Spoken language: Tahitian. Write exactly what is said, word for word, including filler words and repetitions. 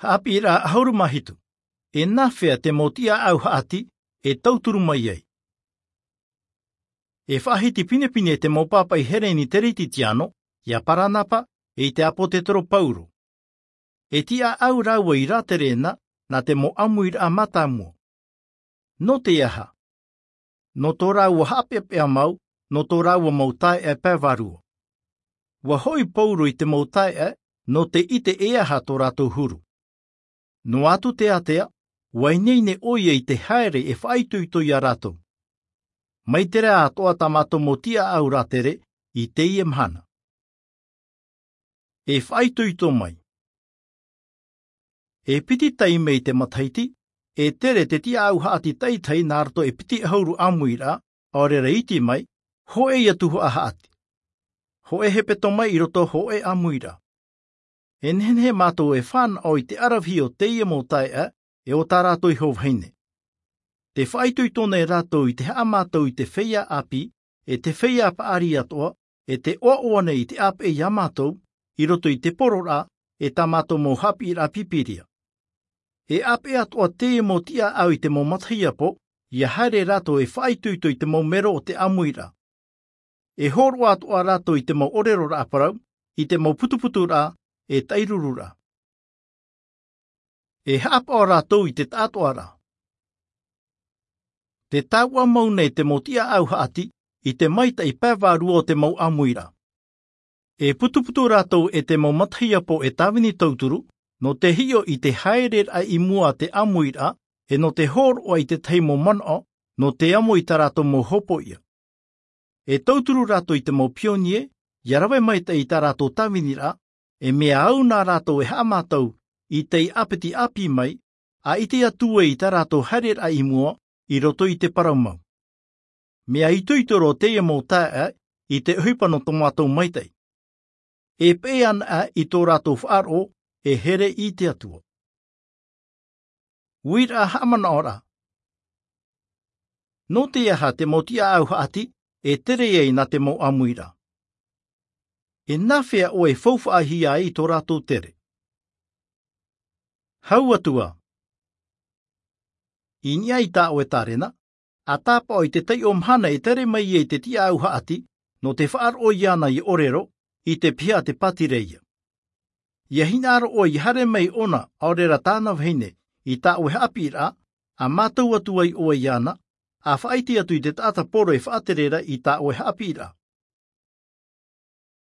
Haʻapiʻiraʻa ʻahuru mā hitu. E nāfea te mau tiʻaʻau haʻati e tauturu mai ai? E faʻahiti pinepine te mau pāpaʻi hereni teretitiano, ia paranapa, e i te ʻāpōtetoro pauro. E tiʻaʻau rāua i rātere na nā te mau ʻāmuiraʻa mātāmua. Nō te aha? Nō tō rāua haʻapeʻapeʻa mau, nō tō rāua mau taeaʻe pae vārua. Ua hoʻi pauro i te mau taeaʻe nō te ʻite e aha tō rātou huru. Noa atu te ātea, ua ineine ʻoia i te haere e faʻaitoito iā rātou. Mai te reira atoʻa tā mātou mau tiʻaʻau rātere i teie mahana. E faʻaitoito mai. E piti taime i te matahiti, e tere te tiʻaʻau haʻati taʻitahi nā roto e piti ʻahuru ʻāmuiraʻa, ʻaore rā iti mai, hōʻē ia tuhaʻa haʻati. Hōʻē hepetoma i roto, hōʻē ʻāmuiraʻa. E nehenehe mātou e fānaʻo i te ʻaravihi o teie mau taeaʻe, e o tā rātou iho vahine. Te faʻaitoito nei rātou i te haʻamātau i te feiā ʻāpī, e te feiā paʻari atoʻa, e te ʻoaʻoa nei i te ʻāpeʻe iā mātou, i roto i te pororaʻa, e tā mātou mau haʻapiʻiraʻa Pīpīria. E ʻāpeʻe atoʻa teie mau tiʻaʻau i te mau matahiapo, ia haere rātou e faʻaitoito i te mau mero o te ʻāmuiraʻa. E hōroʻa atoʻa rātou i te mau ʻōreroraʻa parau, i te mau putuputuraʻa, e taʻirururaʻa. E haʻapaʻo rātou i te taʻatoʻaraʻa. Te tāuʻa mau nei te mau tiʻaʻau haʻati i te maitaʻi pae vārua o te mau ʻāmuiraʻa. E putuputu rātou e te mau matahiapo e tāvini tauturu, nō te hiʻo i te haereraʻa i mua a te ʻāmuiraʻa, e nō te hōroʻa i te tahi mau manaʻo, nō te amo i tā rātou mau hopoiʻa. E tauturu rātou i te mau pionie, ia rave maitaʻi i tā rātou tāviniraʻa, e mea au nā rātou e haʻamātau i tei ʻāpiti ʻāpī mai, a ʻite atu ai i tā rātou haereraʻa i mua, i roto i te parau mau. Mea itoito roa teie mau taeaʻe i te ʻohipa nō tō mātou maitaʻi. E peʻe anaʻe i tō rātou faʻaroʻo, e here i te Atua. Uiraʻa haʻamanaʻoraʻa. Nō te aha te mau tiʻaʻau haʻati e tere ai nā te mau ʻāmuiraʻa? E nāfea ʻoe e faufaʻahia ai i tō rātou tere? Hau atu ā. I niʻa i tā ʻoe tārena, a tāpaʻo i te taiʻo mahana e tere mai ai te tiʻaʻau haʻati, nō te faʻaroʻo iāna i ʻōrero, i te piha a te pātireia. Ia hinaʻaro ʻoe ia haere mai ʻōna, ʻaore rā tāna vahine, i tā ʻoe haʻapiʻiraʻa, a mātau atu ai ʻoe iāna, a faʻaʻite atu i te taʻata poro e faʻatere ra i tā ʻoe haʻapiʻiraʻa.